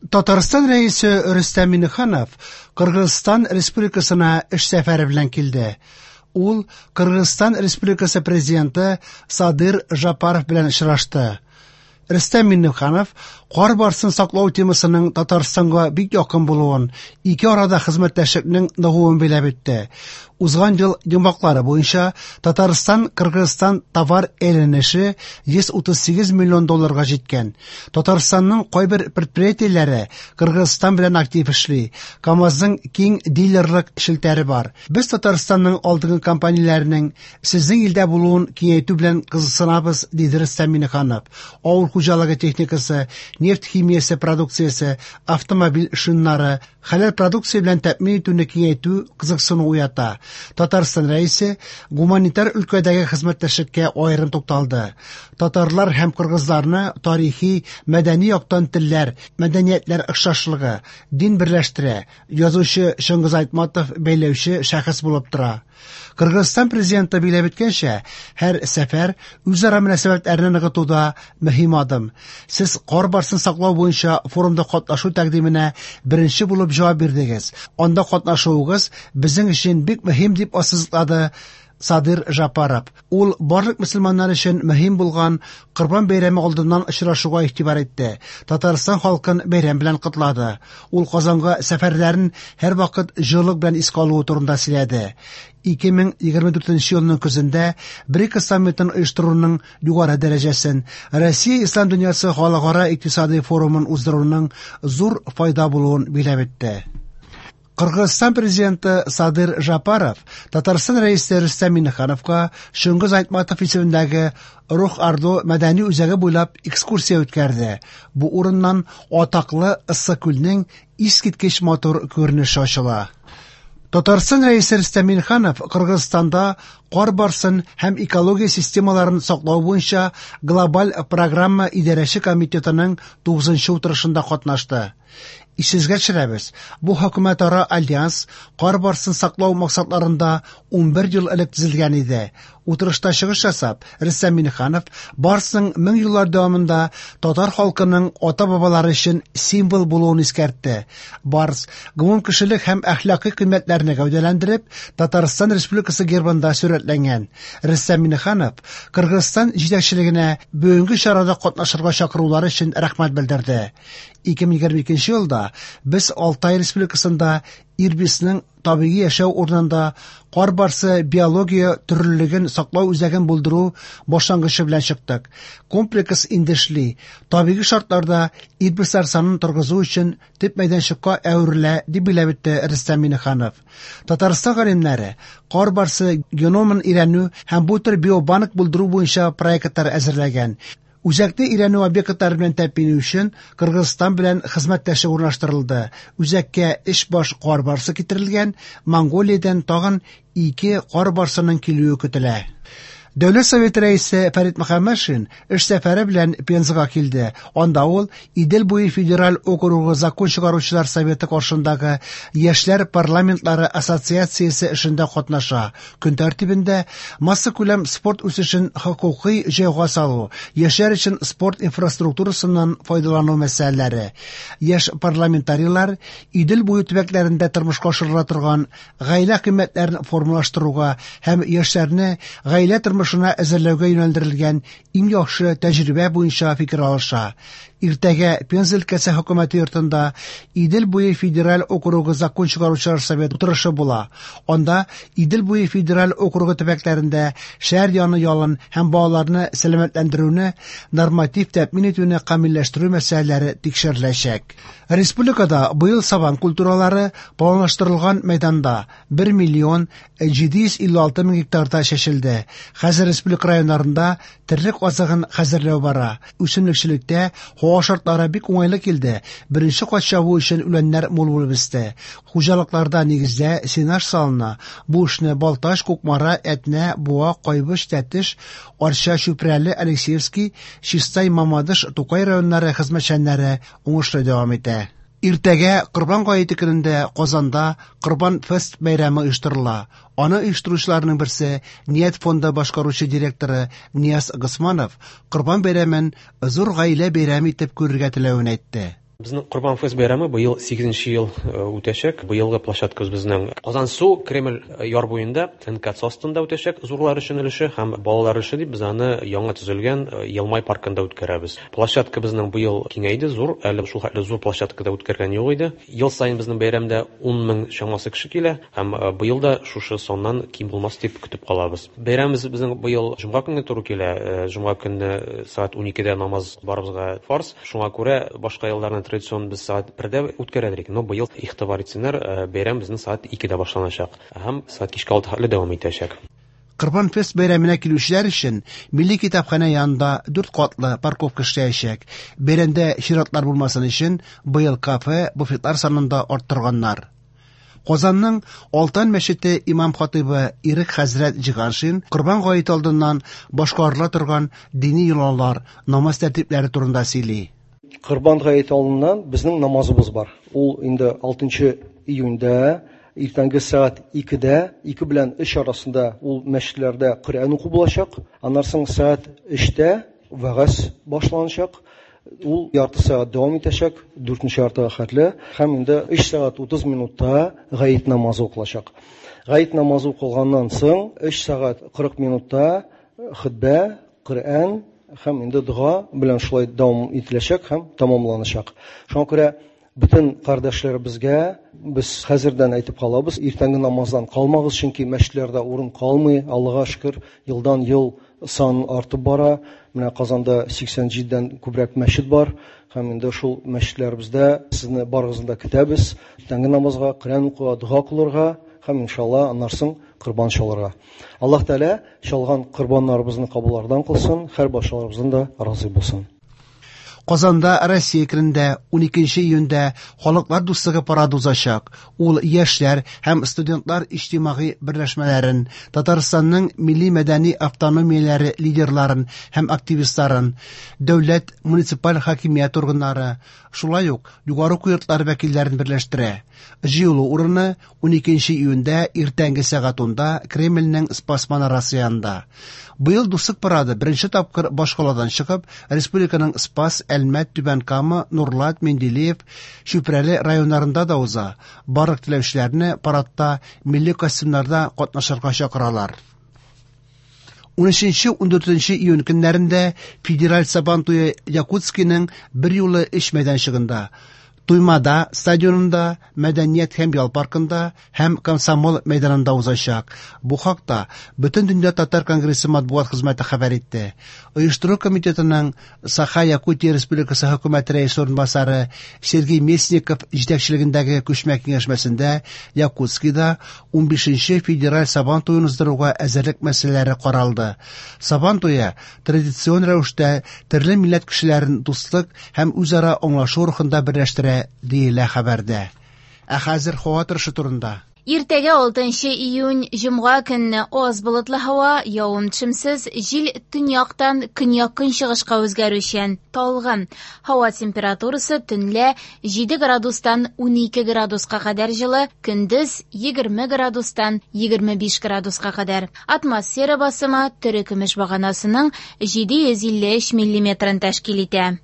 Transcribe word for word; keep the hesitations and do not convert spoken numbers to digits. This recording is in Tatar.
Татарстан Рәисе Рөстәм Миңнеханов Кыргызстан Республикасына эш сәфәре белән килде. Ул Кыргызстан Республикасы президенты Садыр Жапаров белән очрашты. Рөстәм Миңнеханов кар барсын саклау темасының Татарстанга бик якын булуын, ике арада хезмәттәшлекнең ныгуын биләп үтте. Узган ел йомгаклары буенча Татарстан-Кыргызстан товар әйләнеше йөз утыз сигез миллион долларга җиткән. Татарстанның кайбер предприятиеләре Кыргызстан белән актив эшли. КАМАЗның киң дилерлык челтәре бар. Без Татарстанның алдынгы компанияләренең сезнең илдә булуын киңәйтү белән кызыксынабыз, диде Рөстәм Миңнеханов. Авыл хуҗалыгы техникасы, нефть химиясе продукциясе, автомобиль шиннары, хәләл продукция белән тәэмин итүне киңәйтү кызыксыну уята. Татарстан Рәисе гуманитар өлкәдәге хезмәттәшлеккә аерым тукталды. Татарлар һәм кыргызларны тарихи, мәдәни яктан телләр, мәдәниятләр охшашлыгы, дин берләштерә. Язучы Чыңгыз Айтматов бәйләүче шәхес булып тора. Кыргызстан президенты биләп үткәнчә, һәр сәфәр үзара мөнәсәбәтләрне ныгытуда мөһим адым. Сез кар барсын саклау буенча форумда катнашу тәкъдименә беренче булып җавап бирдегез. Анда катнашуыгыз безнең өчен бик мөһим, дип ассызыклады Садыр Жапаров. Ул барлык мөселманнар өчен мөһим булган Корбан бәйрәме алдыннан очрашуга игътибар итте. Татарстан халкын бәйрәм белән котлады. Ул Казанга сәфәрләрен һәрвакыт җылылык белән искә алуы турында сөйләде. ике мең егерме дүртенче елның көзендә БРИКС саммитын оештыруның югары дәрәҗәсен, Россия Ислам дөньясы халыкара икътисади форумын уздыруның зур файда булуын биләп үтте. Кыргызстан президенты Садыр Жапаров Татарстан Рәисе Рөстәм Миңнехановка Чыңгыз Айтматов исемендәге Рух Ордо мәдәни үзәге буйлап экскурсия үткәрде. Бу урыннан атаклы Иссык-Күлнең искиткеч матур күренеше ачыла. Татарстан Рәисе Рөстәм Миңнеханов Кыргызстанда кар барсын һәм экология системаларын саклау буенча глобаль программа идарәче комитетының тугызынчы утырышында катнашты. Исегезгә төшерәбез, бу хөкүмәтара альянс кар барсын саклау максатларында унбер ел элек төзелгән иде. Утырышта чыгыш ясап, Рөстәм Миңнеханов барсның мең еллар дәвамында татар халкының ата-бабалары өчен символ булуын искәртте. Барс гомумкешелек һәм әхлакый кыйммәтләрне гәүдәләндереп, Татарстан Республикасы гербында сурәтләнгән. Рөстәм Миңнеханов Кыргызстан җитәкчелегенә бүгенге чарада катнашырга чакырулары өчен рәхмәт белдерде. ике мең егерме икенче елда без Алтай Республикасында Ирбисның табигый яшәү урынында кар барсы биология төрлелеген саклау үзәген булдыру башлангычы белән чыктык. Комплекс инде эшли. Табигый шартларда ирбислар санын торгызу өчен төп мәйданчыкка әверелә, дип билгеләп үтте Рөстәм Миңнеханов. Татарстан галимнәре кар барсы геномын өйрәнү һәм бу төр биобанк булдыру буенча проектлар әзерләгән. Үзәкне өйрәнү объектлары белән тәэмин итү өчен Кыргызстан белән хезмәттәшлек урнаштырылды. Үзәккә өч баш кар барсы китерелгән, Монголиядән тагын ике кар барсының килүе көтелә. Дәүләт Советы рәисе Фәрит Мөхәммәтшин эш сәфәре белән Пензага килде. Анда ул Идел буе федераль округы закон чыгаручылар советы каршындагы Яшьләр парламентлары ассоциациясе эшендә катнаша. Көн тәртибендә массакүләм спорт үсешен хокукый җайга салу, яшьләр өчен спорт инфраструктурасыннан файдалану мәсьәләләре. Яшь парламентарийлар Идел буе төбәкләрендә тормышка ашырыла торган гаилә кыйммәтләрен формалаштыруга һәм яшьләрне гаилә тормышына әзерләүгә юнәлдерелгән иң яхшы тәҗрибә буенча фикер алыша. Иртәгә Пенза өлкәсе хөкүмәте йортында Идел буе федераль округы закон чыгаручылар советы утырышы була. Анда Идел буе федераль округы төбәкләрендә шәһәр яны ялын һәм балаларны сәламәтләндерүне норматив тәэмин итүне камилләштерү мәсьәләләре тикшереләчәк. Республикада быел сабан культуралары планлаштырылган мәйданда бер миллион җиде йөз илле алты мең гектарда чәчелде. Хәзер республика районнарында терлек азыгын хәзерләү бара. Үсемлекчелектә һава шартлары бик уңайлы килде. Беренче кат чабу өчен үләннәр мул булып үсте. Хуҗалыкларда нигездә сенаж салына. Бу эшне Балтач, Кукмара, Әтнә, Буа, Кайбыч, Тәтеш, Арча, Чүпрәле, Алексеевский, Чистай, Мамадыш, Тукай районнары хезмәтчәннәре уңышлы дәвам итә. Иртәгә Корбан гаете көнендә Казанда Корбан фест бәйрәме оештырыла. Аны оештыручыларның берсе Ният фонды башкаручы директоры Нияз Госманов Корбан бәйрәмен зур гаилә бәйрәме итеп күрергә теләвен әйтте. Безнең Корбан Фест бәйрәме быел сигезенче ел үтәчәк. Быелгы площадкабыз безнең Казансу Кремль яр буенда эн ка цэ астында үтәчәк зурлар өчен өлеше һәм балалар өчен дип без аны яңа төзелгән Елмай паркында үткәрәбез. Площадка безнең быел киңәйде, зур, әле шул хәтле зур площадкада үткәргән юк иде. Ел саен безнең бәйрәмдә ун мең чамасы кеше килә һәм быел да шушы саннан ким булмас дип көтеп калабыз. Бәйрәмебез безнең быел җомга көнне туры килә. Җомга көнне сәгать уникедә намаз барыбызга фарз. Шуңа күрә башка елларны традицион без сәгать бердә үткәрәдек. Но быел игътибар итсеннәр, бәйрәм безнең сәгать икедә башланачак һәм сәгать кичке алты хәтле дәвам итәчәк. Корбан Фест бәйрәменә килүчеләр өчен Милли китапханә янында дүрт катлы парковка эшләячәк. Бәйрәмдә чиратлар булмасын өчен быел кафе, буфетлар санын да арттырганнар. Казанның Алтан мәчете имам хатыйбы Ирек хәзрәт Җиганшин Корбан гаете алдыннан башкарыла торган дини йолалар, намаз тәртипләре турында сөйли. Корбан гаете алдыннан безнең намазыбыз бар. Ул инде алтынчы июньдә иртәнге сәгать икедә, ике белән өч арасында ул мәчетләрдә Коръән уку булачак. Аннан соң сәгать өчтә вәгазь башланачак. Ул ярты сәгать дәвам итәчәк, дүртенче яртыга хәтле, һәм инде өч сәгать утыз минутта гает намазы укылачак. Гает намазы укылганнан соң өч сәгать кырык минутта хөтбә, Коръән һәм инде дога белән шулай дәвам ителәчәк һәм тәмамланачак. Шуңа күрә бөтен кардәшләребезгә без хәзердән әйтеп калабыз, иртәнге намаздан калмагыз, чөнки мәчетләрдә урын калмый. Аллага шөкер, елдан ел сан артып бара. Менә Казанда сиксән җидедән күбрәк мәчет бар һәм инде шул мәчетләребездә сезне барыгызны да көтәбез. Иртәнге намазга, Коръән укуга, дога кылырга һәм иншалла аннан соң корбан чалырга. Аллаһ Тәгалә чалган корбаннарыбызны кабуллардан кылсын, һәр барчаларыбыздан да разый булсын. Казанда Россия көнендә уникенче июньдә Халыклар дуслыгы парады узачак. Ул яшьләр һәм студентлар иҗтимагый берләшмәләрен, Татарстанның милли мәдәни автономияләре лидерларын һәм активистларын, дәүләт муниципаль хакимият органнары, шулай ук югары уку йортлары вәкилләрен берләштерә. Җыелу урыны уникенче июньдә иртәнге сәгать унда Кремльнең Спас манарасы янында. Быел дуслык парады беренче тапкыр башкаладан чыгып, республиканың Спас, Әлмәт, Түбән Кама, Нурлат, Менделеев, Чүпрәле районнарында да уза. Барлык теләүчеләрне парадта милли костюмнарда катнашырга чакыралар. Унөченче, ундүртенче июнь көннәрендә Федераль Сабан туе Якутскиның бер юлы өч мәйданчыгында, Туймада стадионында, Мәдәният һәм ял паркында һәм Комсомол мәйданында узачак. Бу хакта Бөтендөнья татар конгрессы матбугат хезмәте хәбәр итте. Оештыру комитетының Саха-Якутия Республикасы хөкүмәте рәисе урынбасары Сергей Местников җитәкчелегендәге күчмә киңәшмәсендә Якутскида унбишенче федераль Сабан туен уздыруга әзерлек мәсьәләләре каралды. Сабан туе традицион рәвештә төрле милләт кешеләрен дуслык һәм үзара аңлашу рухында берләштерә, диелә хәбәрдә. Ә хәзер һава торышы турында. Иртәгә алтынчы июнь җомга көнне аз болытлы һава, явым-төшемсез, җил төньяктан көньяк-көнчыгышка үзгәрүчән, талгын. Һава температурасы төнлә җиде градустан унике градуска кадәр җылы, көндез егерме градустан егерме биш градуска кадәр. Атмосфера басымы терекөмеш баганасының җиде йөз илле өч миллиметрын тәшкил итә.